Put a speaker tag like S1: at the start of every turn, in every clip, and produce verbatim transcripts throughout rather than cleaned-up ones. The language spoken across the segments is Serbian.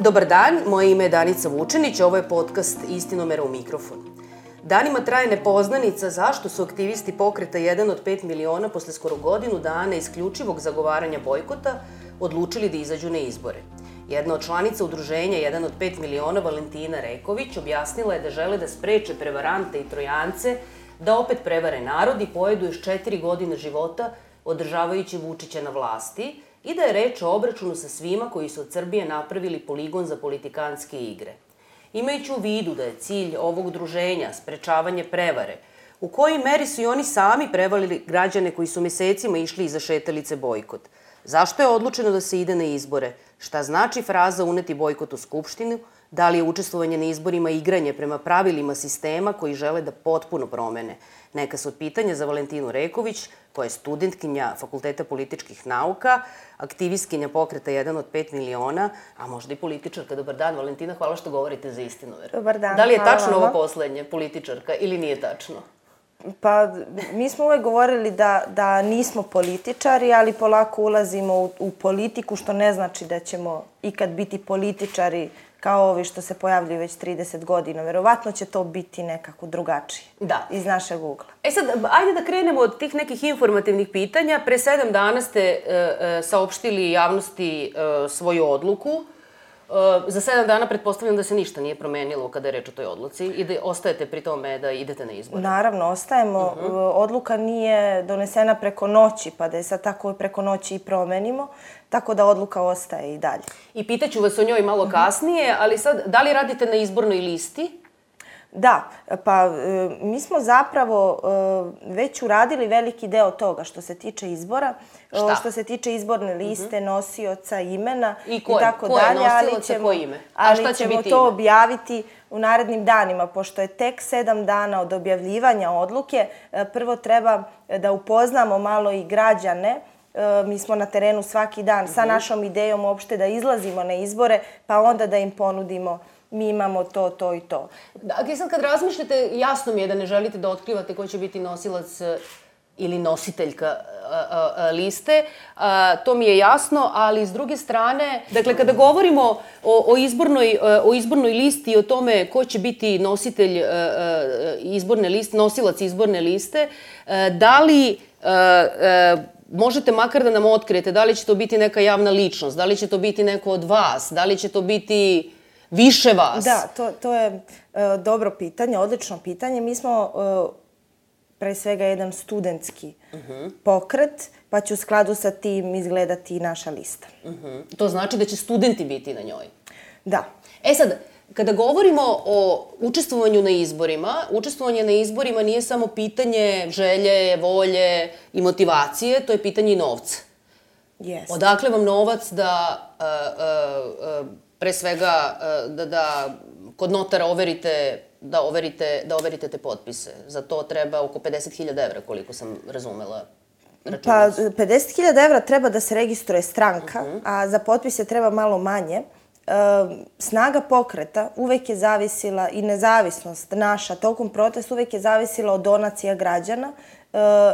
S1: Dobar dan, moje ime je Danica Vučenić, ovo je podcast Istinomera u mikrofon. Danima traje nepoznanica zašto su aktivisti pokreta jedan od pet miliona posle skoro godinu dana isključivog zagovaranja bojkota odlučili da izađu na izbore. Jedna od članica udruženja jedan od pet miliona, Valentina Reković, objasnila je da žele da spreče prevarante i trojance da opet prevare narod i pojedu još četiri godine života održavajući Vučića na vlasti i da je reč o obračunu sa svima koji su od Srbije napravili poligon za politikanske igre. Imajući u vidu da je cilj ovog udruženja sprečavanje prevare, u kojoj meri su i oni sami prevalili građane koji su mesecima išli iza šetalice bojkot? Zašto je odlučeno da se ide na izbore? Šta znači fraza uneti bojkot u Skupštinu? Da li je učestvovanje na izborima igranje prema pravilima sistema koji žele da potpuno promene? Neka su od pitanja za Valentinu Reković, koja je studentkinja Fakulteta političkih nauka, aktivistkinja pokreta jedan od pet miliona, a možda i političarka. Dobar dan, Valentina, hvala što govorite za Istinomer.
S2: Dobar dan,
S1: da li je
S2: hvala
S1: tačno
S2: vama.
S1: ovo poslednje, političarka, ili nije tačno?
S2: Pa, mi smo uvek govorili da, da nismo političari, ali polako ulazimo u, u politiku, što ne znači da ćemo ikad biti političari kao ovi što se pojavljuju već trideset godina. Verovatno će to biti nekako drugačije.
S1: Da.
S2: Iz našeg ugla.
S1: E sad, ajde da krenemo od tih nekih informativnih pitanja. Pre sedam dana ste e, e, saopštili javnosti e, svoju odluku. E, za sedam dana pretpostavljam da se ništa nije promenilo kada je reč o toj odluci i da ostajete pri tome da idete na izbore.
S2: Naravno, ostajemo. Uh-huh. Odluka nije donesena preko noći, pa da je sad tako preko noći i promenimo. Tako da odluka ostaje i dalje.
S1: I pitaću vas o njoj malo kasnije, ali sad, da li radite na izbornoj listi?
S2: Da, pa mi smo zapravo već uradili veliki deo toga što se tiče izbora.
S1: Šta?
S2: Što se tiče izborne liste, uh-huh. nosioca, imena
S1: i,
S2: i tako
S1: ko je
S2: dalje.
S1: nosilac, a ko ime? A
S2: ali
S1: šta će
S2: ćemo
S1: biti
S2: to
S1: ime?
S2: objaviti u narednim danima, pošto je tek sedam dana od objavljivanja odluke. Prvo treba da upoznamo malo i građane. Mi smo na terenu svaki dan sa našom idejom uopšte da izlazimo na izbore, pa onda da im ponudimo mi imamo to, to i to.
S1: Dakle, sad kad razmišljate, jasno mi je da ne želite da otkrivate ko će biti nosilac ili nositeljka a, a, a, liste. A, to mi je jasno, ali s druge strane, dakle, kada govorimo o, o, izbornoj, o izbornoj listi i o tome ko će biti nositelj a, a, izborne liste, nosilac izborne liste, a, da li a, a, možete makar da nam otkrijete da li će to biti neka javna ličnost, da li će to biti neko od vas, da li će to biti više vas?
S2: Da, to, to je uh, dobro pitanje, odlično pitanje. Mi smo uh, pre svega jedan studentski uh-huh. pokret, pa će u skladu sa tim izgledati i naša lista.
S1: Uh-huh. To znači da će studenti biti na njoj?
S2: Da.
S1: E sad, kada govorimo o učestvovanju na izborima, učestvovanje na izborima nije samo pitanje želje, volje i motivacije, to je pitanje i novca.
S2: Yes.
S1: Odakle vam novac da, uh, uh, uh, pre svega, uh, da, da kod notara overite, da overite, da overite te potpise? Za to treba oko pedeset hiljada evra, koliko sam razumela.
S2: Pa, pedeset hiljada evra treba da se registruje stranka, uh-huh. a za potpise treba malo manje. Snaga pokreta uvek je zavisila i nezavisnost naša tokom protesta uvek je zavisila od donacija građana.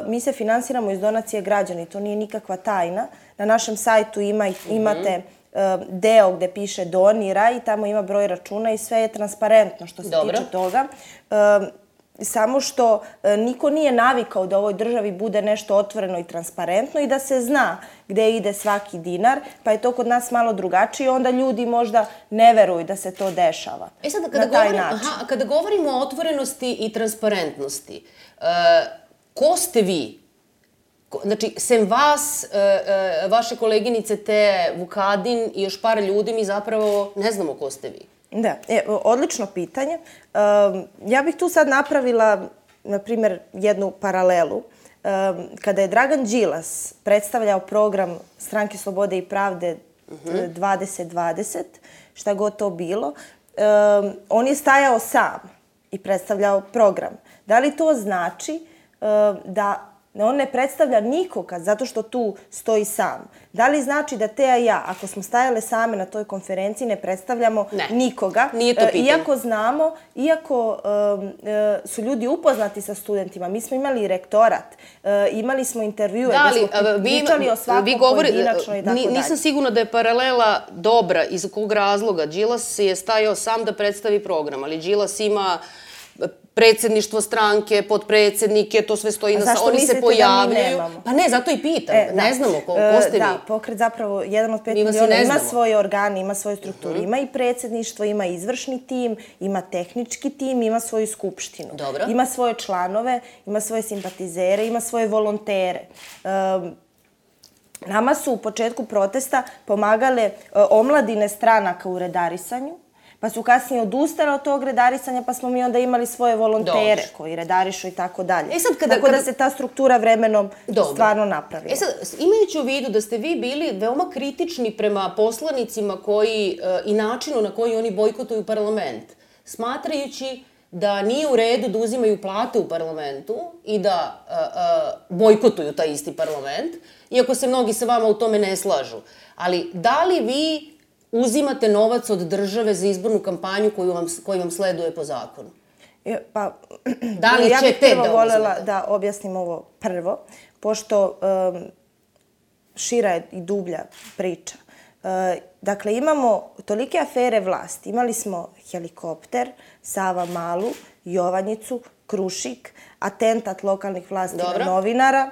S2: Mi se finansiramo iz donacije građana i to nije nikakva tajna. Na našem sajtu ima, imate deo gde piše donira i tamo ima broj računa i sve je transparentno što se
S1: Dobro.
S2: tiče toga. Samo što niko nije navikao da u ovoj državi bude nešto otvoreno i transparentno i da se zna gde ide svaki dinar, pa je to kod nas malo drugačije i onda ljudi možda ne veruju da se to dešava.
S1: E sad, kada,
S2: na taj
S1: govorim,
S2: način.
S1: aha, kada govorimo o otvorenosti i transparentnosti, uh, ko ste vi? Ko, znači, sem vas, uh, uh, vaše koleginice Te Vukadin i još par ljudi, mi zapravo ne znamo ko ste vi.
S2: Da, e, odlično pitanje. Um, ja bih tu sad napravila, na primjer, jednu paralelu. Um, kada je Dragan Đilas predstavljao program Stranke slobode i pravde uh-huh. dvadeset dvadeset, šta god to bilo, um, on je stajao sam i predstavljao program. Da li to znači um, da on ne predstavlja nikoga zato što tu stoji sam. Da li znači da Teja i ja, ako smo stajale same na toj konferenciji, ne predstavljamo
S1: ne,
S2: nikoga?
S1: Nije to pitanje.
S2: Iako znamo, iako um, su ljudi upoznati sa studentima, mi smo imali rektorat, uh, imali smo intervjue, da smo pričali o svakom govori, pojedinačno i tako dalje.
S1: Nisam sigurna da je paralela dobra, iz kog razloga. Đilas je stajao sam da predstavi program, ali Đilas ima predsjedništvo stranke, podpredsjednike, to sve stoji na... Oni se pojavljaju. Pa ne, zato i pitam. Ne znamo ko ste vi.
S2: Da, pokret zapravo jedan od pet miliona ima svoje organe, ima svoju strukturu. Ima i predsjedništvo, ima izvršni tim, ima tehnički tim, ima svoju skupštinu. Ima svoje članove, ima svoje simpatizere, ima svoje volontere. Nama su u početku protesta pomagale omladine stranaka u redarisanju, pa su kasnije odustale od tog redarisanja, pa smo mi onda imali svoje volontere koji redarišu i tako dalje. Tako da se ta struktura vremenom stvarno napravila.
S1: E sad, imajući u vidu da ste vi bili veoma kritični prema poslanicima koji i načinu na koji oni bojkotuju parlament, smatrajući da nije u redu da uzimaju plate u parlamentu i da bojkotuju taj isti parlament, iako se mnogi sa vama u tome ne slažu. Ali da li vi uzimate novac od države za izbornu kampanju koju vam sleduje po zakonu?
S2: Pa,
S1: da li
S2: ja bih
S1: ćete
S2: prvo
S1: da
S2: voljela
S1: uzmete?
S2: da objasnim ovo prvo, pošto šira je i dublja priča. Dakle, imamo tolike afere vlasti. Imali smo helikopter, Savamalu, Jovanjicu, Krušik, atentat lokalnih vlasti na novinara,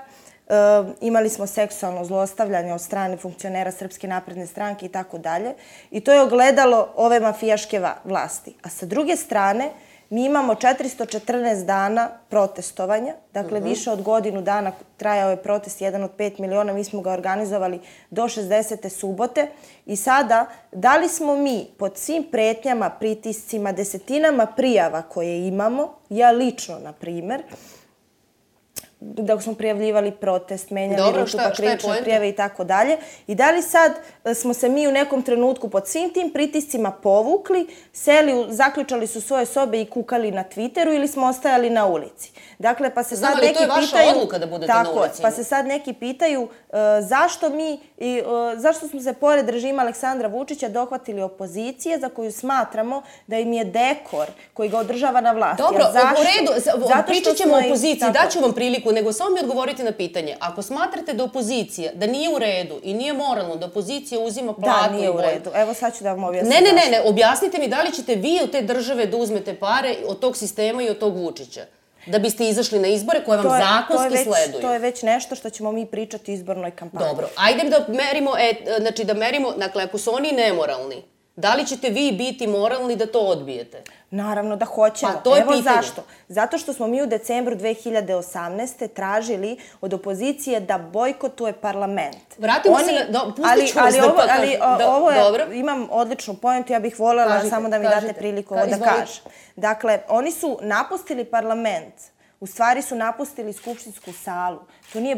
S2: imali smo seksualno zlostavljanje od strane funkcionera Srpske napredne stranke i tako dalje. I to je ogledalo ove mafijaške vlasti. A sa druge strane, mi imamo četiristo četrnaest dana protestovanja, dakle više od godinu dana trajao je protest jedan od pet miliona, mi smo ga organizovali do šezdesete subote i sada, da li smo mi pod svim pretnjama, pritiscima, desetinama prijava koje imamo, ja lično, na primer, dok smo prijavljivali protest, menjali rutu pa krivične prijave i tako dalje. I da li sad smo se mi u nekom trenutku pod svim tim pritiscima povukli, seli, zaključali su svoje sobe i kukali na Twitteru ili smo ostajali na ulici? Dakle, pa se sad neki pitaju...
S1: Znam, ali to je vaša odluka da budete na ulici.
S2: Pa se sad neki pitaju zašto mi, zašto smo se pored režima Aleksandra Vučića dohvatili opozicije za koju smatramo da im je dekor koji ga održava na vlasti.
S1: Dobro, u redu, pričat ćemo o opoziciji, daću vam priliku, nego samo mi odgovorite na pitanje. Ako smatrate da opozicija, da nije u redu i nije moralno da opozicija uzima platu...
S2: Da, nije u redu. Evo sad ću da vam objasnim.
S1: Ne, ne, ne, ne, objasnite mi da li ćete vi od te države da uzmete pare od tog sistema i od tog Vučića. Da biste izašli na izbore koje vam zakonski sleduju.
S2: To je već nešto što ćemo mi pričati u izbornoj kampanji.
S1: Dobro, ajde da merimo, znači da merimo, dakle, ako su oni nemoralni, da li ćete vi biti moralni da to odbijete?
S2: Naravno da hoćemo.
S1: Pa to je pitanje.
S2: Evo zašto. Zato što smo mi u decembru dve hiljade osamnaeste. tražili od opozicije da bojkotuje parlament.
S1: Vratimo se na... Pustit ću vas da pa kažem.
S2: Ali ovo je, imam odličnu pojentu, ja bih voljela samo da mi date priliku ovo da kažem. Dakle, oni su napustili parlament. U stvari su napustili skupštinsku salu. To nije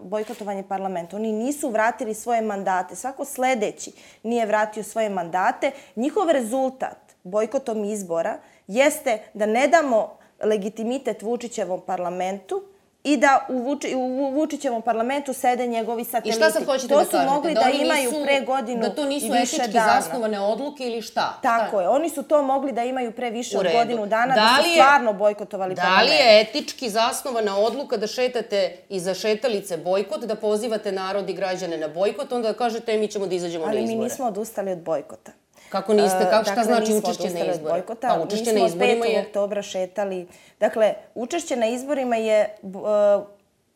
S2: bojkotovanje parlamenta. Oni nisu vratili svoje mandate. Svako sledeći nije vratio svoje mandate. Njihov rezultat bojkotom izbora jeste da ne damo legitimitet Vučićevom parlamentu i da u Vučićevom parlamentu sede njegovi sateliti.
S1: I šta sad hoćete da kažete?
S2: To su mogli da imaju pre godinu i više dana.
S1: Da to nisu etički zasnovane odluke ili šta?
S2: Tako je. Oni su to mogli da imaju pre više od godinu dana, da su stvarno bojkotovali parlament.
S1: Da li je etički zasnovana odluka da šetate iza šetalice bojkot, da pozivate narod i građane na bojkot, onda da kažete mi ćemo da izađemo na izbore?
S2: Ali mi nismo odustali od bojkota.
S1: Kako niste? Šta znači učešće na izbore? Pa učešće na izborima je...
S2: petog oktobra šetali. Dakle, učešće na izborima je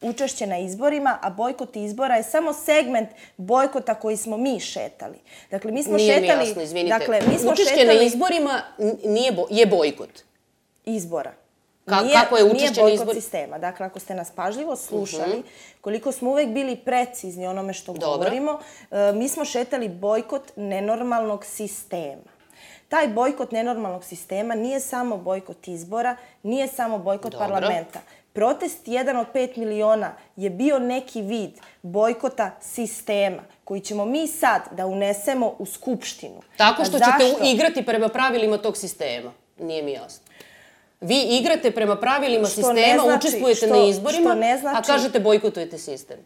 S2: učešće na izborima, a bojkot izbora je samo segment bojkota koji smo mi šetali. Dakle, mi smo šetali...
S1: Nije mi jasno, izvinite. Učešće na izborima je bojkot.
S2: Izbora.
S1: Kako je učešće na izborima?
S2: Nije bojkot sistema. Dakle, ako ste nas pažljivo slušali, koliko smo uvek bili precizni onome što govorimo, mi smo šetali bojkot nenormalnog sistema. Taj bojkot nenormalnog sistema nije samo bojkot izbora, nije samo bojkot parlamenta. Protest jedan od pet miliona je bio neki vid bojkota sistema koji ćemo mi sad da unesemo u Skupštinu.
S1: Tako što ćete igrati prema pravilima tog sistema. Nije mi jasno. Vi igrate prema pravilima
S2: Što ne
S1: sistema,
S2: znači-
S1: učestvujete
S2: što-
S1: na izborima,
S2: što ne znači-
S1: a kažete bojkotujete sistem.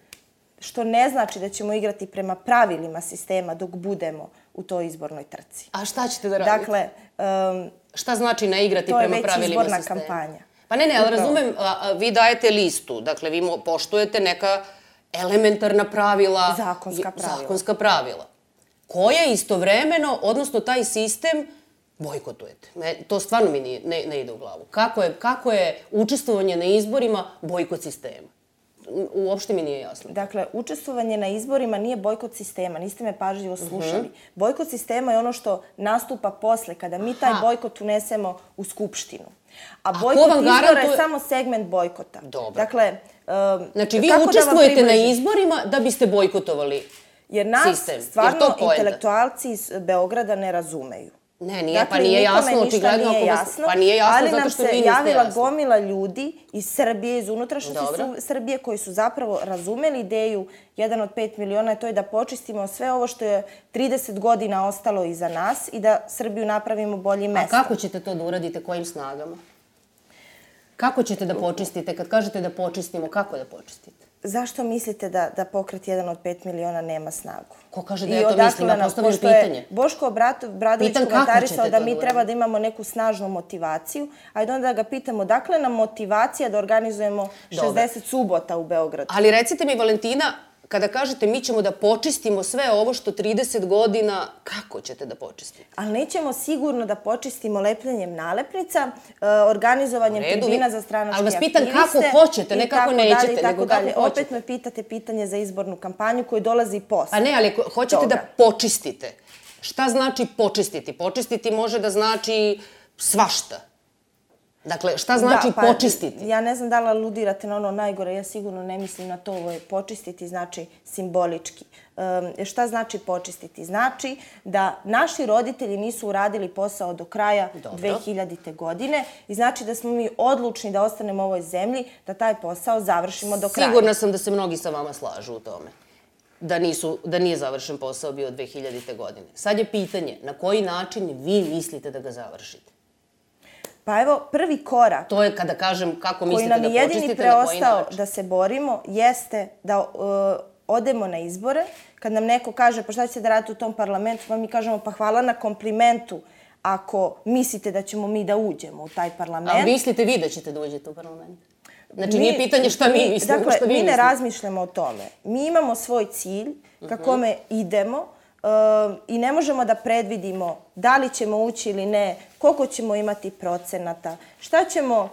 S2: Što ne znači da ćemo igrati prema pravilima sistema dok budemo u toj izbornoj trci.
S1: A šta ćete da radite?
S2: Dakle, um,
S1: Šta znači ne igrati
S2: to je
S1: prema
S2: već
S1: pravilima
S2: izborna
S1: sistema?
S2: kampanja.
S1: Pa ne, ne, ali
S2: Upravo.
S1: razumem, a, a, vi dajete listu, dakle vi mo- poštujete neka elementarna pravila.
S2: Zakonska pravila.
S1: Zakonska pravila. Koje istovremeno, odnosno taj sistem, bojkotujete. Me, to stvarno mi nije, ne, ne ide u glavu. Kako je, kako je učestvovanje na izborima bojkot sistema? U- Uopšte mi nije jasno.
S2: Dakle, učestvovanje na izborima nije bojkot sistema, niste me pažljivo slušali. Bojkot sistema je ono što nastupa posle, kada mi taj
S1: Aha.
S2: bojkot unesemo u skupštinu. A
S1: ko
S2: bojkot
S1: vam
S2: izbora
S1: garantuje-
S2: je samo segment bojkota.
S1: Dobro.
S2: Dakle, um,
S1: Znači, vi
S2: kako da vam
S1: učestvujete na
S2: približim?
S1: izborima da biste bojkotovali
S2: Jer nas
S1: sistem. Jer
S2: stvarno
S1: to poenta.
S2: intelektualci iz Beograda ne razumeju.
S1: Ne, nije,
S2: Dakle,
S1: pa nije
S2: nikome
S1: jasno,
S2: ništa
S1: očigledno.
S2: nije
S1: ako vas-
S2: jasno,
S1: Pa nije jasno
S2: ali
S1: zato
S2: nam
S1: što
S2: se
S1: vi niste
S2: javila
S1: jasni.
S2: gomila ljudi iz Srbije, iz unutrašnjosti
S1: Dobro.
S2: Su- Srbije, koji su zapravo razumeli ideju jedan od pet miliona, to je da počistimo sve ovo što je trideset godina ostalo iza nas i da Srbiju napravimo boljim
S1: A
S2: mestom.
S1: kako ćete to da uradite, kojim snagama? Kako ćete da počistite? Kad kažete da počistimo, kako da počistite?
S2: Zašto mislite da, da pokret jedan od pet miliona nema snagu?
S1: Ko kaže da
S2: I
S1: ja to
S2: odakle
S1: mislim? Ja
S2: nam-
S1: postavljam
S2: pošto je
S1: pitanje.
S2: Boško Obratov- Bradović
S1: Pitam kako
S2: komentarisao
S1: ćete
S2: da
S1: to
S2: mi
S1: da
S2: treba
S1: uradite?
S2: da imamo neku snažnu motivaciju, ajde onda da ga pitamo dakle nam motivacija da organizujemo šezdeset subota u Beogradu.
S1: Ali recite mi, Valentina, kada kažete mi ćemo da počistimo sve ovo što trideset godina, kako ćete da počistite?
S2: Ali nećemo sigurno da počistimo lepljenjem nalepnica, e, organizovanjem
S1: U redu,
S2: tribina
S1: vi-
S2: za stranačke
S1: ali vas
S2: aktiviste.
S1: pitam kako hoćete, ne
S2: i
S1: kako
S2: tako dalje,
S1: nećete,
S2: i tako
S1: nego kako
S2: dalje.
S1: hoćete.
S2: Opet me pitate pitanje za izbornu kampanju koju dolazi posle.
S1: Pa ne, ali ako hoćete
S2: toga.
S1: da počistite. Šta znači počistiti? Počistiti može da znači svašta. Dakle, šta znači
S2: Da, pa,
S1: počistiti?
S2: Ja ne znam da li aludirate na ono najgore, ja sigurno ne mislim na to, ovo je počistiti znači simbolički. Um, šta znači počistiti? Znači da naši roditelji nisu uradili posao do kraja
S1: Dobro.
S2: dve hiljadite. godine i znači da smo mi odlučni da ostanemo u ovoj zemlji, da taj posao završimo do kraja.
S1: Sigurna sam da se mnogi sa vama slažu u tome. Da, nisu, da nije završen posao bio dve hiljadite. godine. Sad je pitanje na koji način vi mislite da ga završite.
S2: Pa evo, prvi korak
S1: To je kada kažem kako
S2: koji
S1: mislite
S2: nam
S1: da
S2: je jedini
S1: počistite, na koji
S2: preostao
S1: način.
S2: da se borimo jeste da uh, odemo na izbore. Kad nam neko kaže pa šta ćete da radite u tom parlamentu, pa mi kažemo pa hvala na komplimentu ako mislite da ćemo mi da uđemo u taj parlament.
S1: A mislite vi da ćete da uđete u parlament? Znači,
S2: Mi-
S1: nije pitanje šta mi mislimo,
S2: dakle,
S1: šta vi
S2: mi ne
S1: mislite.
S2: razmišljamo o tome. Mi imamo svoj cilj ka kome idemo uh, i ne možemo da predvidimo da li ćemo ući ili ne, koliko ćemo imati procenata, šta ćemo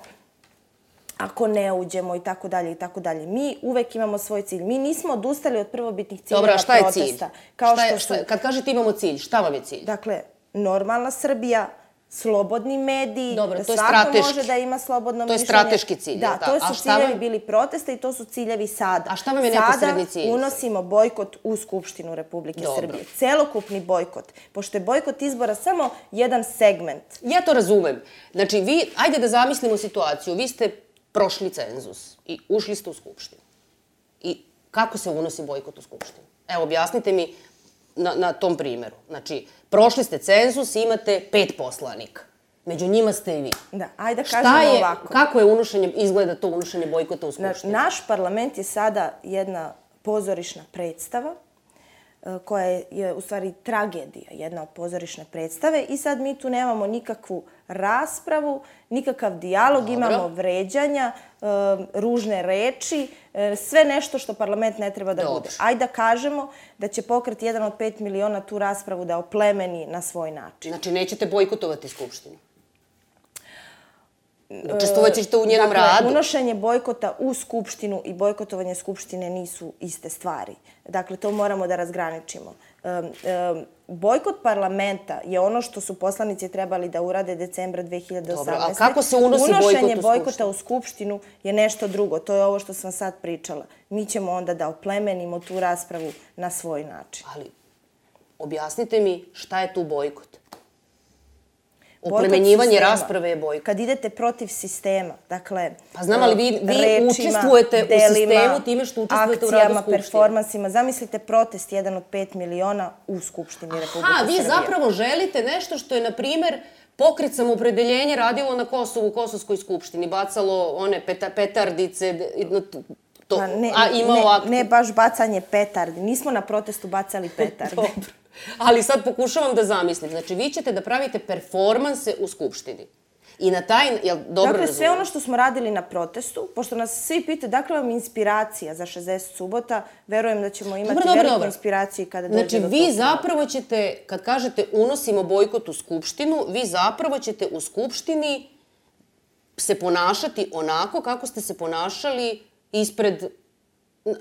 S2: ako ne uđemo i tako dalje i tako dalje. Mi uvek imamo svoj cilj. Mi nismo odustali od prvobitnih ciljeva
S1: Dobro, a šta je cilj?
S2: protesta. Kao
S1: Šta je-
S2: što
S1: šta
S2: su,
S1: je- Kad kažete imamo cilj, šta vam je cilj?
S2: dakle, normalna Srbija, slobodni mediji,
S1: Dobro,
S2: da
S1: to je
S2: svako
S1: strateški.
S2: može da ima slobodno
S1: To je
S2: mišljenje.
S1: strateški cilj,
S2: Da,
S1: jel'
S2: to
S1: tako? A
S2: su
S1: šta
S2: ciljevi
S1: vam-
S2: bili protesta i to su ciljevi sada.
S1: A šta vam je
S2: Sada
S1: neposredni cilj?
S2: unosimo bojkot u Skupštinu Republike
S1: Dobro.
S2: Srbije. Celokupni bojkot. Pošto je bojkot izbora samo jedan segment.
S1: Ja to razumem. Znači, vi, ajde da zamislimo situaciju. Vi ste prošli cenzus i ušli ste u Skupštinu. I kako se unosi bojkot u Skupštinu? Evo, objasnite mi na, na tom primjeru. Znači, prošli ste cenzus i imate pet poslanika. Među njima ste i vi.
S2: Da, ajde da
S1: Šta
S2: kažemo
S1: je,
S2: ovako.
S1: kako je unošenje, izgleda to unošenje bojkota u
S2: Na-
S1: Skupštinu?
S2: Naš parlament je sada jedna pozorišna predstava e, koja je, je u stvari tragedija, jedna od pozorišne predstave i sad mi tu nemamo nikakvu raspravu, nikakav dijalog,
S1: Dobro.
S2: imamo vređanja, e, ružne reči, e, sve nešto što parlament ne treba da
S1: Dobro.
S2: bude. Ajde da kažemo da će pokret jedan od pet miliona tu raspravu da oplemeni na svoj način.
S1: Znači, nećete bojkotovati Skupštinu? Učestvovat ćete u njenom
S2: Dakle,
S1: radu?
S2: unošenje bojkota u Skupštinu i bojkotovanje Skupštine nisu iste stvari. Dakle, to moramo da razgraničimo. Um, um, bojkot parlamenta je ono što su poslanici trebali da urade decembra dve hiljade osamnaeste.
S1: Dobro, a kako se unosi bojkot u
S2: Unošenje
S1: Skupštinu?
S2: bojkota u Skupštinu je nešto drugo. To je ovo što sam sad pričala. Mi ćemo onda da oplemenimo tu raspravu na svoj način.
S1: Ali, objasnite mi šta je tu bojkot?
S2: Bojkot
S1: Oplemenjivanje
S2: sistema.
S1: rasprave je bojkot.
S2: Kad idete protiv sistema, dakle...
S1: Pa znam, ali vi- vi
S2: rečima,
S1: učestvujete u
S2: delima,
S1: sistemu time što učestvujete u radu
S2: akcijama,
S1: Skupštine.
S2: performansima. Zamislite protest jedan od pet miliona u Skupštini Republike
S1: Ha, vi
S2: Srbije.
S1: zapravo želite nešto što je, na primer, Pokret Samoopredeljenje radilo na Kosovu, u Kosovskoj skupštini, bacalo one peta, petardice, to,
S2: Pa ne,
S1: a imao
S2: ne,
S1: akt...
S2: ne baš bacanje petardi. Nismo na protestu bacali petarde.
S1: Dobro. Ali sad pokušavam da zamislim. Znači, vi ćete da pravite performanse u skupštini. I na taj, jel dobro
S2: Dakle,
S1: razumijem?
S2: sve ono što smo radili na protestu, pošto nas svi pitaju dakle vam inspiracija za šezdeset subota, verujem da ćemo imati
S1: Dobro, dobro,
S2: veliku
S1: dobro.
S2: inspiraciju kada dođe
S1: Znači,
S2: do
S1: vi
S2: tog
S1: zapravo ćete, kad kažete unosimo bojkot u skupštinu, vi zapravo ćete u skupštini se ponašati onako kako ste se ponašali ispred,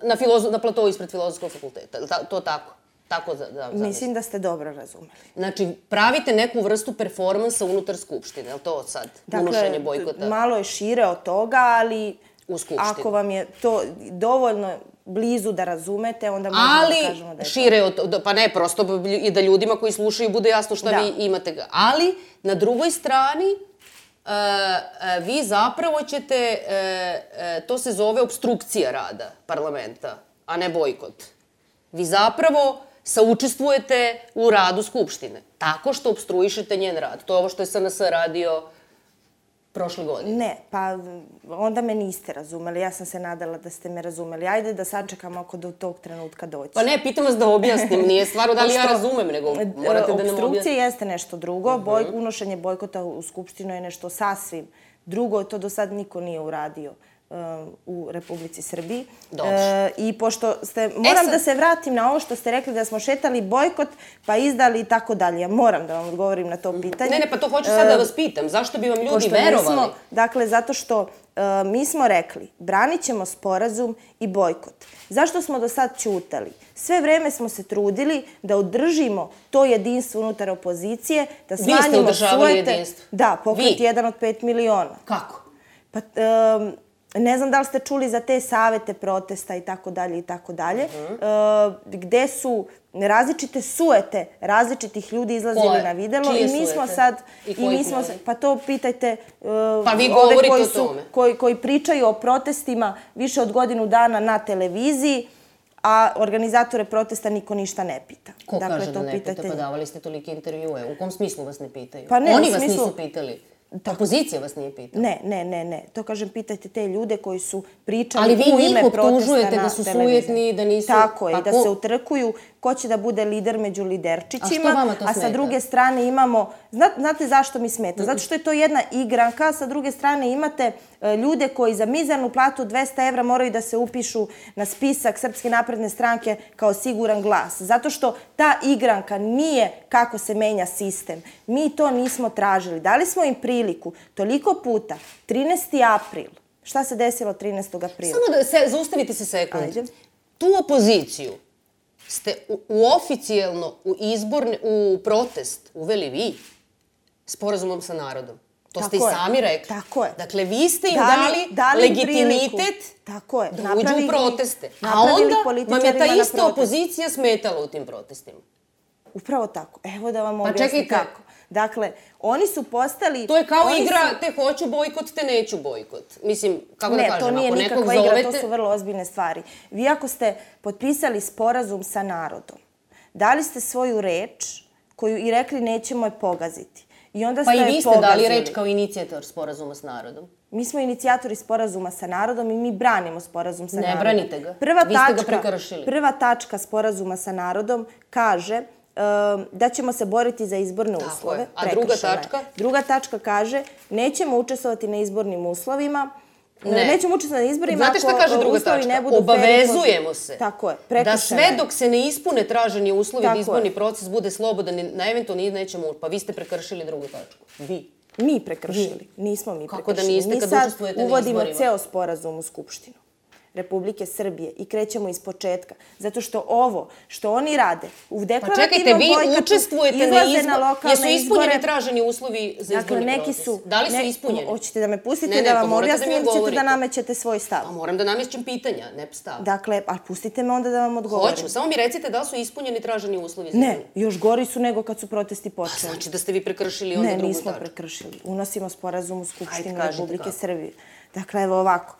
S1: na, filozo, na platovu ispred Filozofskog fakulteta. Je li ta- to tako? Tako da, da zamislim.
S2: Mislim da ste dobro razumeli.
S1: Znači, pravite neku vrstu performansa unutar skupštine, je li to sad? Unošenje bojkota
S2: Dakle, malo je šire od toga, ali
S1: u skupštini.
S2: ako vam je to dovoljno blizu da razumete, onda možemo
S1: Ali,
S2: da kažemo da je
S1: šire od to. Pa ne, prosto i da ljudima koji slušaju bude jasno šta
S2: Da.
S1: vi imate. Ga. Ali, na drugoj strani, e, e, vi zapravo ćete, e, e, to se zove obstrukcija rada parlamenta, a ne bojkot. Vi zapravo saučestvujete u radu Skupštine, tako što obstruišete njen rad. To je ovo što je S N S radio prošle godine.
S2: Ne, pa onda me niste razumeli. Ja sam se nadala da ste me razumeli. Ajde da sačekamo ako do tog trenutka doći.
S1: Pa ne, pitam vas da objasnim. Nije stvarno da li ja razumem, nego morate da nam objasnite.
S2: Obstrukcija jeste nešto drugo. Boj, unošenje bojkota u Skupštinu je nešto sasvim drugo. To do sad niko nije uradio u Republici Srbiji.
S1: Dobro.
S2: E, I pošto ste, moram
S1: sad-
S2: da se vratim na ovo što ste rekli da smo šetali bojkot, pa izdali i tako dalje. Ja moram da vam odgovorim na to pitanje.
S1: Ne, ne, pa to hoću sad da vas pitam. Zašto bi vam ljudi
S2: Pošto
S1: verovali?
S2: nismo- dakle, zato što e, mi smo rekli, branit ćemo sporazum i bojkot. Zašto smo do sad ćutali? Sve vreme smo se trudili da održimo to jedinstvo unutar opozicije, da
S1: Vi ste
S2: smanjimo
S1: održavali
S2: sujete.
S1: jedinstvo?
S2: Da, pokret
S1: Vi?
S2: jedan od pet miliona.
S1: Kako?
S2: Pa, em, ne znam da li ste čuli za te savete protesta i tako dalje i tako dalje, e, gde su različite sujete različitih ljudi izlazili
S1: Koje?
S2: na videlo
S1: Čije
S2: i mi smo
S1: sujete?
S2: sad
S1: I
S2: i
S1: kojih
S2: mi smo
S1: ljudi?
S2: se- pa to pitajte e,
S1: Pa vi
S2: ove
S1: govorite
S2: koji
S1: o
S2: su
S1: tome.
S2: koji koji pričaju o protestima više od godinu dana na televiziji, a organizatore protesta niko ništa ne pita.
S1: Ko
S2: Dakle,
S1: kaže da
S2: to
S1: ne pita?
S2: pitajte
S1: Pa
S2: njih.
S1: davali ste tolike intervjue. U kom smislu vas ne pitaju?
S2: Pa ne,
S1: Oni
S2: u
S1: vas
S2: smislu-
S1: nisu pitali. Opozicija vas nije pitala.
S2: Ne, ne, ne, ne. To kažem, pitajte te ljude koji su pričali
S1: Ali vi
S2: u
S1: njih
S2: ime protesta
S1: optužujete
S2: na
S1: da su
S2: televiziji.
S1: sujetni, da nisu-
S2: Tako je,
S1: Pa
S2: i da
S1: ko-
S2: se utrkuju ko će da bude lider među liderčićima.
S1: A što vama to
S2: A sa
S1: smeta?
S2: druge strane imamo... Zna- Znate zašto mi smeta? Zato što je to jedna igranka. Sa druge strane imate e, ljude koji za mizernu platu od dvesta evra moraju da se upišu na spisak Srpske napredne stranke kao siguran glas. Zato što ta igranka nije kako se menja sistem. Mi to nismo tražili. Dali smo im priliku toliko puta. trinaesti april. Šta se desilo trinaestog aprila?
S1: Samo da se, zaustavite se sekund.
S2: Ajde.
S1: Tu opoziciju ste u, u oficijalno u izborne, u protest uveli vi sporazumom sa narodom. To ste i
S2: Tako je.
S1: sami rekli.
S2: Tako je.
S1: Dakle, vi ste im
S2: Dali-
S1: dali,
S2: dali im
S1: legitimitet
S2: priliku. Tako je.
S1: da
S2: Napravili-
S1: uđu u proteste. A
S2: napravili
S1: onda vam je
S2: političarima
S1: ta
S2: na
S1: ista
S2: protest.
S1: opozicija smetala u tim protestima.
S2: Upravo tako. Evo da vam
S1: Pa
S2: objasnim
S1: čekajte.
S2: kako. Dakle, oni su postali...
S1: To je kao
S2: oni
S1: igra,
S2: su-
S1: te hoću bojkot, te neću bojkot. Mislim, kako
S2: Ne,
S1: da kažem,
S2: to nije
S1: ako nekog
S2: nikakva igra,
S1: zovete...
S2: to su vrlo ozbiljne stvari. Vi ako ste potpisali sporazum sa narodom, dali ste svoju reč koju i rekli nećemo je pogaziti. I onda
S1: Pa
S2: ste
S1: i
S2: je
S1: vi ste dali
S2: pogazili.
S1: reč kao inicijator sporazuma s narodom.
S2: Mi smo inicijatori sporazuma sa narodom i mi branimo sporazum sa
S1: Ne
S2: narodom.
S1: branite ga.
S2: Prva
S1: Vi ste ga
S2: tačka,
S1: prekršili.
S2: Prva tačka sporazuma sa narodom kaže um, da ćemo se boriti za izborne
S1: Tako
S2: uslove.
S1: je. A druga
S2: Prekršena je.
S1: tačka?
S2: Druga tačka kaže nećemo učestvovati na izbornim uslovima.
S1: Ne.
S2: Nećemo učestvovati na izborima
S1: Znate šta
S2: ako
S1: kaže druga
S2: uslovi
S1: tačka?
S2: ne budu fer i
S1: Obavezujemo
S2: pošteni.
S1: se
S2: Tako je,
S1: da
S2: prekršena
S1: sve
S2: je.
S1: dok se ne ispune traženi uslovi da
S2: Tako
S1: izborni
S2: je.
S1: proces bude slobodan i na eventualno nećemo... Pa vi ste prekršili drugu tačku. Vi.
S2: Mi prekršili. Nismo mi
S1: Kako da
S2: prekršili.
S1: niste
S2: Mi
S1: kad
S2: sad
S1: učestvujete na
S2: uvodimo
S1: izborima?
S2: ceo sporazum u Skupštinu Republike Srbije i krećemo iz početka. Zato što ovo što oni rade u
S1: Pa
S2: deklarativnom
S1: čekajte, vi
S2: bojkotu
S1: učestvujete na
S2: izlaze
S1: izbor...
S2: na lokalne
S1: Jesu ispunjeni
S2: izbore.
S1: traženi uslovi za
S2: Dakle,
S1: izborni
S2: neki
S1: proces?
S2: su...
S1: Da li su
S2: ne-
S1: ispunjeni?
S2: Hoćete da me pustite
S1: Ne, ne,
S2: da
S1: pa
S2: vam
S1: morate da
S2: objasnim
S1: mi
S2: ili ćete
S1: odgovorite.
S2: da namećete svoj stav?
S1: Pa moram da namješćem pitanja, ne stav.
S2: Dakle, a pustite me onda da vam odgovorim.
S1: Hoću, samo mi recite da li su ispunjeni traženi uslovi za
S2: Ne,
S1: izborni.
S2: još gori su nego kad su protesti počeli.
S1: Znači da ste vi prekršili onda
S2: Ne,
S1: drugu
S2: nismo
S1: tačku.
S2: prekršili. Unosimo sporazum u Skupštinu
S1: Ajde, kažite
S2: Republike
S1: kako.
S2: Srbije. Dakle, evo ovako.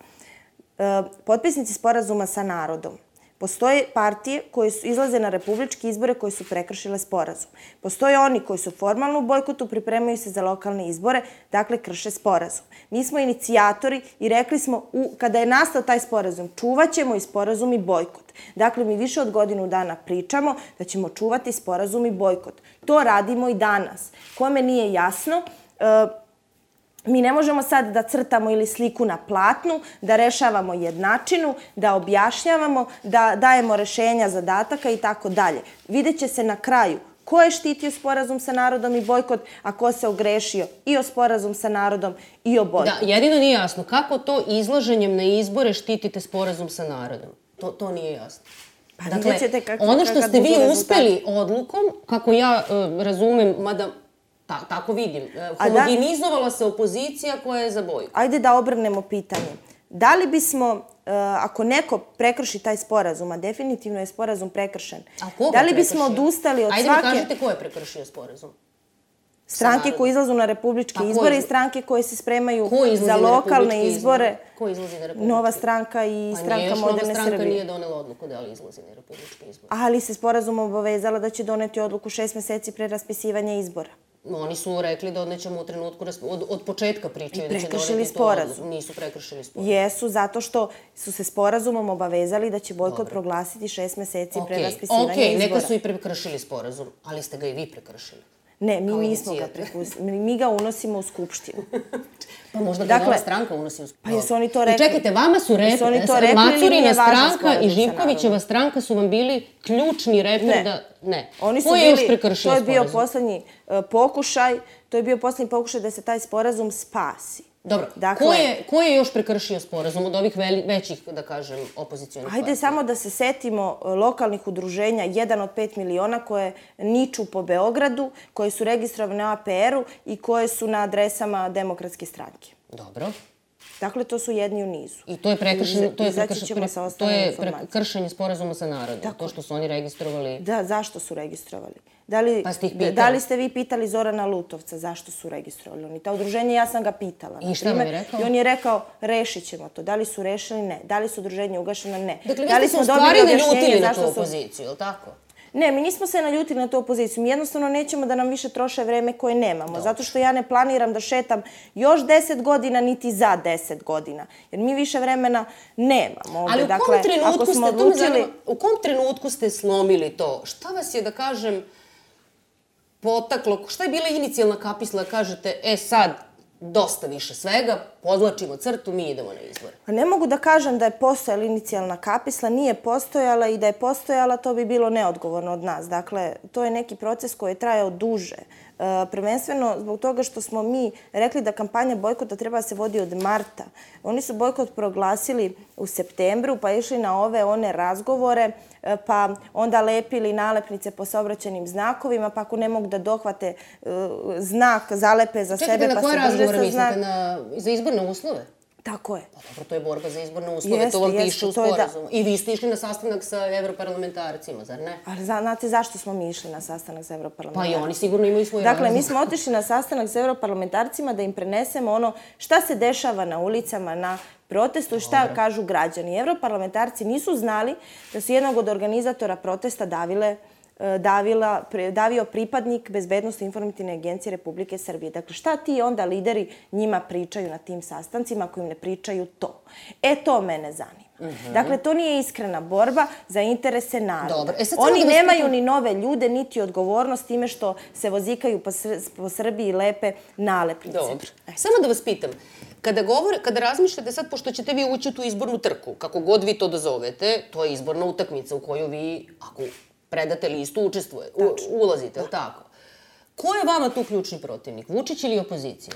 S2: E, potpisnici sporazuma sa narodom Postoje partije koje su izlaze na republičke izbore koje su prekršile sporazum. Postoje oni koji su formalno u bojkotu, pripremaju se za lokalne izbore, dakle krše sporazum. Mi smo inicijatori i rekli smo, u, kada je nastao taj sporazum, čuvat ćemo i sporazum i bojkot. Dakle, mi više od godinu dana pričamo da ćemo čuvati sporazum i bojkot. To radimo i danas. Kome nije jasno, e, mi ne možemo sad da crtamo ili sliku na platnu, da rešavamo jednačinu, da objašnjavamo, da dajemo rešenja zadataka i tako dalje. Vidjet će se na kraju ko je štitio sporazum sa narodom i bojkot, a ko se ogrešio i o sporazum sa narodom i o bojkot.
S3: Da, jedino nije jasno. Kako to izlaženjem na izbore štitite sporazum sa narodom? To, to nije jasno.
S2: Pa
S3: dakle,
S2: vidjet ćete kak,
S3: ono što ste vi
S2: rezultat.
S3: uspeli odlukom, kako ja uh, razumem, mada ta, tako vidim, uh, homogenizovala se opozicija koja je za bojkot.
S2: Ajde da obrnemo pitanje. Da li bismo, uh, ako neko prekrši taj sporazum, a definitivno je sporazum prekršen, da li bismo odustali od
S3: Ajde
S2: svake...
S3: Ajde mi kažete ko je prekršio sporazum?
S2: Stranke koje izlazu na republičke
S3: pa
S2: izbore
S3: iz...
S2: i stranke koje se spremaju za lokalne izbore.
S3: Ko izlazi na republičke?
S2: Nova stranka i
S3: pa
S2: stranka Moderne Srbije.
S3: Nova stranka nije donela odluku da li izlazi na republičke izbore.
S2: Ali se sporazum obavezala da će doneti odluku šest meseci pre raspisivanja izbora.
S3: Oni su rekli da nećemo u trenutku, od, od početka pričaju da će doneti
S2: sporazum.
S3: To, nisu prekršili sporazum.
S2: Jesu, zato što su se sporazumom obavezali da će bojkot proglasiti šest meseci okay. pre raspisivanja
S3: okay.
S2: izbora.
S3: Neka su i prekršili sporazum, ali ste ga i vi prekršili.
S2: Ne, mi nismo ga prekršili. Mi ga unosimo u Skupštinu.
S3: Pa možda ga dakle, Nova stranka unosi u Skupštinu.
S2: Pa jesu oni to rekli?
S3: I čekajte, vama su rekli, rekli Macurina stranka i Živkovićeva stranka su vam bili ključni reper
S2: ne.
S3: da... Ne.
S2: Oni su
S3: Ko je
S2: bili,
S3: još prekršio
S2: to je bio
S3: sporazum?
S2: poslednji uh, pokušaj, to je bio poslednji pokušaj da se taj sporazum spasi.
S3: Dobro,
S2: dakle,
S3: ko, je, ko je još prekršio sporazum od ovih veli, većih, da kažem, opozicijonih partija?
S2: Ajde samo da se setimo lokalnih udruženja, jedan od pet miliona koje niču po Beogradu, koje su registrovane u A P R-u i koje su na adresama Demokratske stranke.
S3: Dobro.
S2: Dakle, to su jedni u nizu.
S3: I to je prekršenje, to je prekršenje, to je
S2: kršenje
S3: sporazuma sa narodom, tako. To što su oni registrovali.
S2: Da, zašto su registrovali? Da li,
S3: pa ste ih pitali?
S2: Da li ste vi pitali Zorana Lutovca zašto su registrovali oni? Ta udruženja, ja sam ga pitala.
S3: I šta vam je rekao?
S2: I on je rekao, rešit ćemo to. Da li su rešili? Ne. Da li su udruženja ugašena? Ne.
S3: Dakle,
S2: da li
S3: vi ste se u stvari naljutili na tu opoziciju, ili tako?
S2: Ne, mi nismo se naljutili na tu opoziciju. Mi jednostavno nećemo da nam više troše vreme koje nemamo. Dobro. Zato što ja ne planiram da šetam još deset godina, niti za deset godina. Jer mi više vremena nemamo ovde.
S3: Ali u
S2: dakle,
S3: kom trenutku ste,
S2: odlučili...
S3: zanima, u kom trenutku ste slomili to? Šta vas je, da kažem, potaklo? Šta je bila inicijalna kapisla da kažete, e sad, dosta više svega, podlačimo crtu, mi idemo na izbore?
S2: Ne mogu da kažem da je postojala inicijalna kapisla, nije postojala i da je postojala, to bi bilo neodgovorno od nas. Dakle, to je neki proces koji je trajao duže. E, prvenstveno zbog toga što smo mi rekli da kampanja bojkota treba da se vodi od marta. Oni su bojkot proglasili u septembru, pa išli na ove one razgovore, pa onda lepili nalepnice po saobraćajnim znakovima, pa ako ne mogu da dohvate uh, znak, zalepe za
S3: Čekajte,
S2: sebe, pa se drže sa znak.
S3: Čekajte, na koje razgovore mislite? Na, za izborne uslove?
S2: Tako je.
S3: Pa dobro, to je borba za izborne uslove,
S2: jeste,
S3: to vam
S2: jeste,
S3: piše u sporazumu. Da. I vi ste išli na sastanak sa evroparlamentarcima, zar ne?
S2: Ali znate zašto smo mi išli na sastanak sa evroparlamentarcima?
S3: Pa i oni sigurno imaju svoj
S2: Dakle,
S3: razlog.
S2: mi smo otišli na sastanak sa evroparlamentarcima da im prenesemo ono šta se dešava na ulicama, na protestu i šta Dobre. kažu građani. Evroparlamentarci nisu znali da su jednog od organizatora protesta davile Davila, davio pripadnik Bezbednosno informativne agencije Republike Srbije. Dakle, šta ti onda lideri njima pričaju na tim sastancima ako im ne pričaju to? E, to mene zanima. Uh -huh. Dakle, to nije iskrena borba za interese naroda.
S3: Dobre. E,
S2: Oni da nemaju spitam... ni nove ljude, niti odgovornost time što se vozikaju po, Sr po Srbiji lepe nalepnice.
S3: Dobro. E. Samo da vas pitam, kada, govore, kada razmišljate sad, pošto ćete vi ući u tu izbornu trku, kako god vi to dozovete, to je izborna utakmica u koju vi, ako predate listu, učestvuje, u, ulazite, ili tako? Ko je vama tu ključni protivnik? Vučić ili opozicija?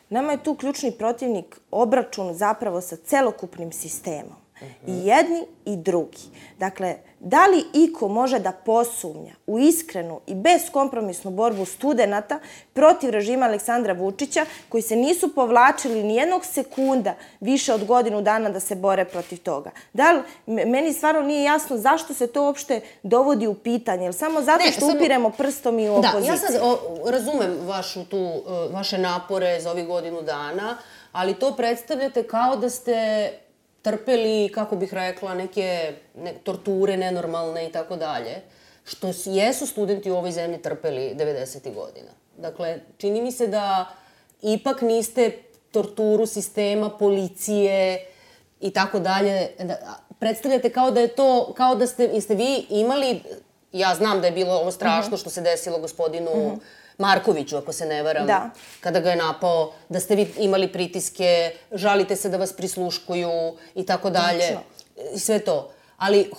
S2: Nama je tu ključni protivnik obračun zapravo sa celokupnim sistemom. I jedni i drugi. Dakle, da li iko može da posumnja u iskrenu i beskompromisnu borbu studenata protiv režima Aleksandra Vučića, koji se nisu povlačili ni jednog sekunda više od godinu dana da se bore protiv toga? Da li, meni stvarno nije jasno zašto se to uopšte dovodi u pitanje, jer samo zato što ne, upiremo samo... prstom i u opoziciju.
S3: Da, ja sad o, razumem vašu tu, vaše napore za ovih godinu dana, ali to predstavljate kao da ste trpeli, kako bih rekla, neke ne, torture nenormalne i tako dalje, što jesu studenti u ovoj zemlji trpeli devedesetih godina. Dakle, čini mi se da ipak niste torturu sistema, policije i tako dalje, predstavljate kao da je to, kao da ste, jeste vi imali, ja znam da je bilo ovo strašno što se desilo gospodinu Markoviću, ako se ne varam,
S2: da.
S3: Kada ga je napao, da ste vi imali pritiske, žalite se da vas prisluškuju i tako dalje, i sve to. Ali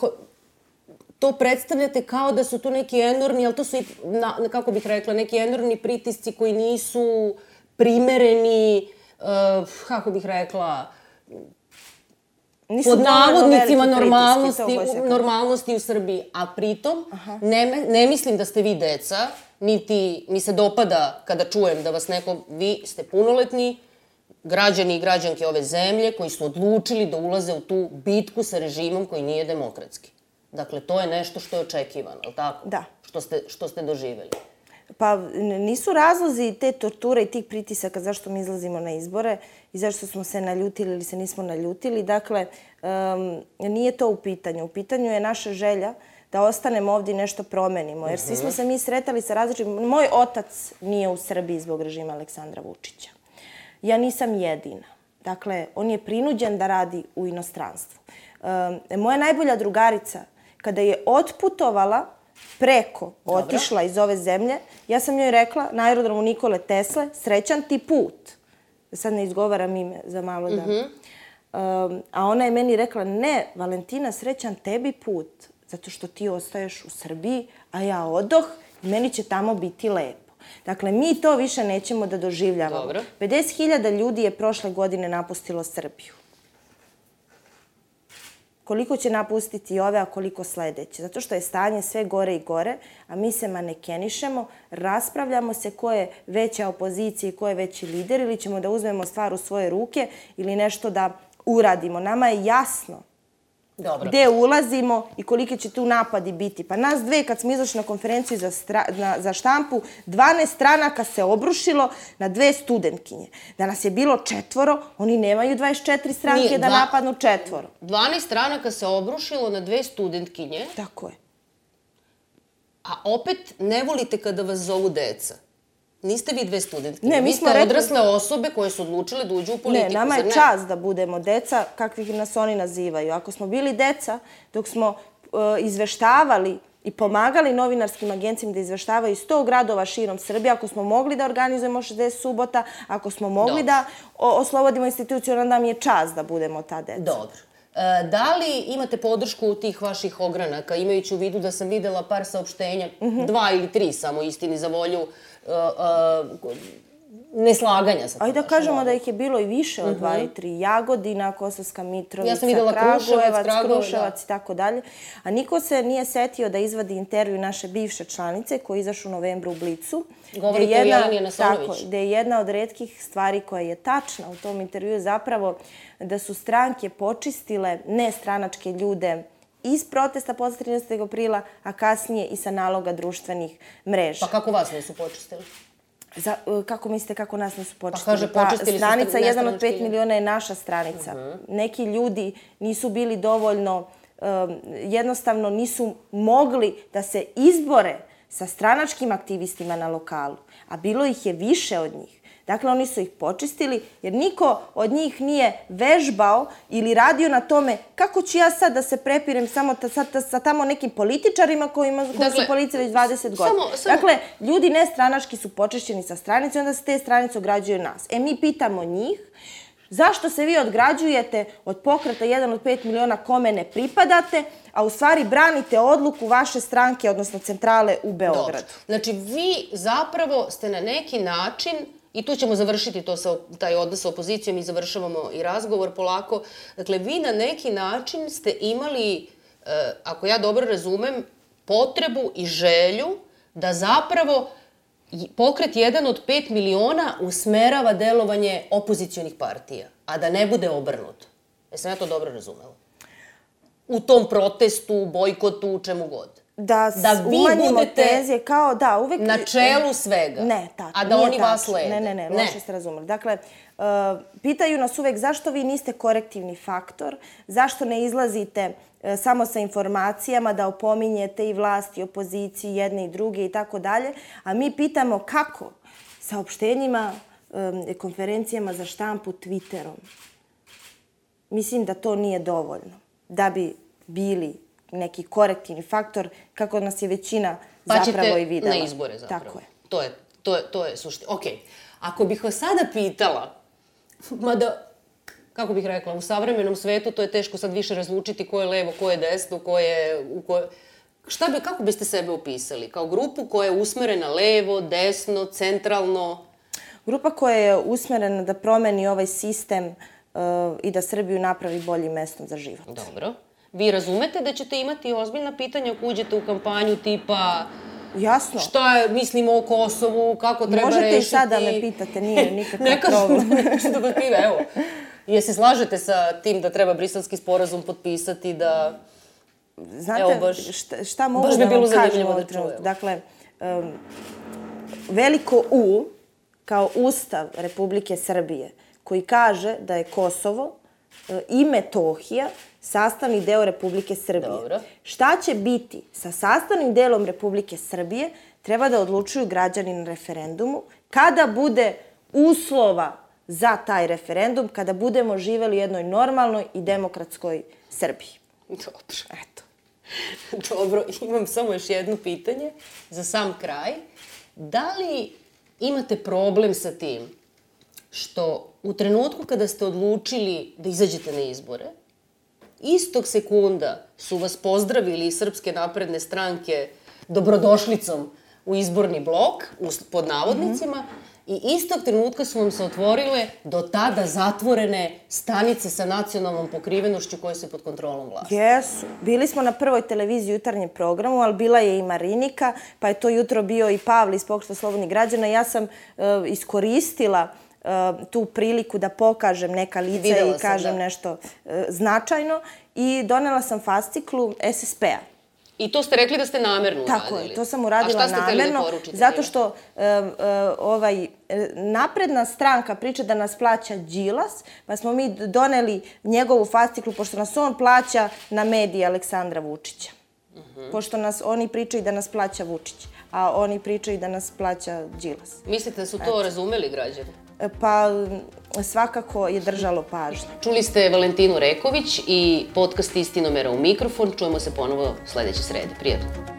S3: to predstavljate kao da su tu neki enormni, ali to su, kako bih rekla, neki enormni pritisci koji nisu primereni, kako bih rekla, pod navodnicima normalnosti, normalnosti u Srbiji. A pritom, ne, ne mislim da ste vi deca, niti mi se dopada kada čujem da vas neko, vi ste punoletni građani i građanke ove zemlje koji su odlučili da ulaze u tu bitku sa režimom koji nije demokratski. Dakle, to je nešto što je očekivano, ali tako?
S2: Da.
S3: Što ste, što ste doživjeli.
S2: Pa nisu razlozi te torture i tih pritisaka zašto mi izlazimo na izbore i zašto smo se naljutili ili se nismo naljutili. Dakle, um, nije to u pitanju. U pitanju je naša želja da ostanemo ovdje i nešto promenimo. Jer svi smo se mi sretali sa različitim... Moj otac nije u Srbiji zbog režima Aleksandra Vučića. Ja nisam jedina. Dakle, on je prinuđen da radi u inostranstvu. Um, moja najbolja drugarica, kada je otputovala preko, otišla iz ove zemlje, ja sam joj rekla na aerodromu Nikole Tesle, srećan ti put. Sad ne izgovaram ime za malo da... Um, a ona je meni rekla, ne, Valentina, srećan tebi put, zato što ti ostaješ u Srbiji, a ja odoh i meni će tamo biti lepo. Dakle, mi to više nećemo da doživljavamo.
S3: Dobro.
S2: pedeset hiljada ljudi je prošle godine napustilo Srbiju. Koliko će napustiti ove, a koliko sledeće. Zato što je stanje sve gore i gore, a mi se manekenišemo, raspravljamo se ko je veća opozicija i ko je veći lider, ili ćemo da uzmemo stvar u svoje ruke ili nešto da uradimo. Nama je jasno
S3: Dobro.
S2: Gde ulazimo i kolike će tu napadi biti. Pa nas dve, kad smo izašli na konferenciju za, stra, na, za štampu, dvanaest stranaka se obrušilo na dve studentkinje. Da nas je bilo četvoro, oni nemaju dvadeset četiri stranke Nije, da dva, napadnu četvoro.
S3: dvanaest stranaka se obrušilo na dve studentkinje.
S2: Tako je.
S3: A opet ne volite kada vas zovu deca. Niste vi dve studentke.
S2: Ne, mi
S3: vi
S2: smo
S3: ste
S2: rekli...
S3: odrasle osobe koje su odlučile da uđu u politiku.
S2: Ne, nama je čast da budemo deca kakvih nas oni nazivaju. Ako smo bili deca, dok smo uh, izveštavali i pomagali novinarskim agencijama da izveštavaju sto gradova širom Srbije, ako smo mogli da organizujemo šezdeset subota, ako smo mogli Dobro. da oslobodimo instituciju, onda nam je čast da budemo ta deca.
S3: Dobro. E, da li imate podršku tih vaših ogranaka, imajući u vidu da sam videla par saopštenja, mm-hmm. dva ili tri samo istini za volju, uh, uh, neslaganja sa to.
S2: Ajde da kažemo da ih je bilo i više od dva i tri. Jagodina, Kosovska Mitrovica,
S3: ja sam videla
S2: Kragujevac,
S3: Kragujeva,
S2: Kruševac i tako dalje. A niko se nije setio da izvadi intervju naše bivše članice koji je izašao u novembru u Blicu.
S3: Govorite o Jeleni Nasonović.
S2: Tako, gde je jedna od retkih stvari koja je tačna u tom intervju zapravo da su stranke počistile nestranačke ljude iz protesta posle trinaestog aprila, a kasnije i sa naloga društvenih mreža.
S3: Pa kako vas nisu počistili?
S2: Za, kako mislite kako nas nisu počistili?
S3: Pa kaže, počistili
S2: pa, stranica jedan od pet miliona je naša stranica. Uh-huh. Neki ljudi nisu bili dovoljno, um, jednostavno nisu mogli da se izbore sa stranačkim aktivistima na lokalu, a bilo ih je više od njih. Dakle, oni su ih počistili jer niko od njih nije vežbao ili radio na tome kako ću ja sad da se prepirem samo ta, sa, sa tamo nekim političarima kojima, koji dakle, su policije već dvadeset godina. Samo, samo... Dakle, ljudi nestranački su počišćeni sa stranice i onda se te stranice ograđuju nas. E, mi pitamo njih zašto se vi odgrađujete od pokreta jedan od pet miliona kome ne pripadate, a u stvari branite odluku vaše stranke, odnosno centrale u Beogradu.
S3: Dobro. Znači, vi zapravo ste na neki način, i tu ćemo završiti to sa, taj odnos sa opozicijom i završavamo i razgovor polako. Dakle, vi na neki način ste imali, ako ja dobro razumem, potrebu i želju da zapravo pokret jedan od pet miliona usmerava delovanje opozicionih partija, a da ne bude obrnuto. Jesam ja to dobro razumela? U tom protestu, bojkotu, čemu god.
S2: Da,
S3: Da vi
S2: umanjimo
S3: budete
S2: tenzije, kao da, uvek...
S3: na čelu svega.
S2: Ne, tako,
S3: a da
S2: nije
S3: oni vas
S2: tačno.
S3: slede.
S2: Ne, ne, ne, loše ste razumeli. Dakle, uh, pitaju nas uvek zašto vi niste korektivni faktor, zašto ne izlazite uh, samo sa informacijama da opominjete i vlast i opoziciju, jedne i druge i tako dalje, a mi pitamo kako? Saopštenjima, um, konferencijama za štampu, Twitterom. Mislim da to nije dovoljno da bi bili neki korektivni faktor, kako nas je većina
S3: pa
S2: zapravo i videla.
S3: Pa ćete na izbore zapravo.
S2: Tako je.
S3: To je, to je, to je suština. Ok, ako bih vas sada pitala, mada, kako bih rekla, u savremenom svetu to je teško sad više razlučiti ko je levo, ko je desno, ko je... U ko... Šta bi, kako biste sebe opisali? Kao grupu koja je usmerena levo, desno, centralno?
S2: Grupa koja je usmerena da promeni ovaj sistem uh, i da Srbiju napravi boljim mestom za život.
S3: Dobro. Vi razumete da ćete imati ozbiljna pitanja ako uđete u kampanju tipa...
S2: Jasno.
S3: Šta je, mislimo o Kosovu, kako treba
S2: Možete
S3: rešiti...
S2: Možete i sad da me pitate, nije nikakav
S3: Neka
S2: problem.
S3: Neću da vas piva, evo. Je se slažete sa tim da treba briselski sporazum potpisati, da...
S2: Znate,
S3: evo, baš,
S2: šta, šta mogu
S3: baš
S2: da
S3: bi bilo
S2: vam kažem
S3: zanimljivo
S2: ovaj
S3: da
S2: trenutku?
S3: čujemo.
S2: Dakle, um, veliko U kao Ustav Republike Srbije koji kaže da je Kosovo uh, i Metohija sastavni deo Republike Srbije.
S3: Dobro.
S2: Šta će biti sa sastavnim delom Republike Srbije treba da odlučuju građani na referendumu kada bude uslova za taj referendum, kada budemo živeli u jednoj normalnoj i demokratskoj Srbiji.
S3: Dobro. Eto. Dobro, imam samo još jedno pitanje za sam kraj. Da li imate problem sa tim što u trenutku kada ste odlučili da izađete na izbore, istog sekunda su vas pozdravili iz Srpske napredne stranke dobrodošlicom u izborni blok, pod navodnicima, mm-hmm. i istog trenutka su vam se otvorile do tada zatvorene stanice sa nacionalnom pokrivenošću koje su pod kontrolom vlasti.
S2: Jesu. Bili smo na prvoj televiziji u jutarnjem programu, ali bila je i Marinika, pa je to jutro bio i Pavle iz Pokreta slobodnih građana. Ja sam uh, iskoristila uh, tu priliku da pokažem neka lica
S3: Videla
S2: i kažem
S3: sam, da.
S2: nešto uh, značajno i donela sam fasciklu S S P-a.
S3: I to ste rekli da ste namerno uradili?
S2: Tako je, to sam uradila namerno.
S3: A šta ste hteli da poručite?
S2: Zato što uh, uh, ovaj, napredna stranka priča da nas plaća Đilas, pa smo mi doneli njegovu fasciklu, pošto nas on plaća na mediji Aleksandra Vučića. Uh-huh. Pošto nas, oni pričaju da nas plaća Vučić, a oni pričaju da nas plaća Đilas.
S3: Mislite da su to razumeli građani?
S2: Pa svakako je držalo pažnje.
S3: Čuli ste Valentinu Reković i podcast Istinomera u mikrofon. Čujemo se ponovo sledeće srede. Prijatno.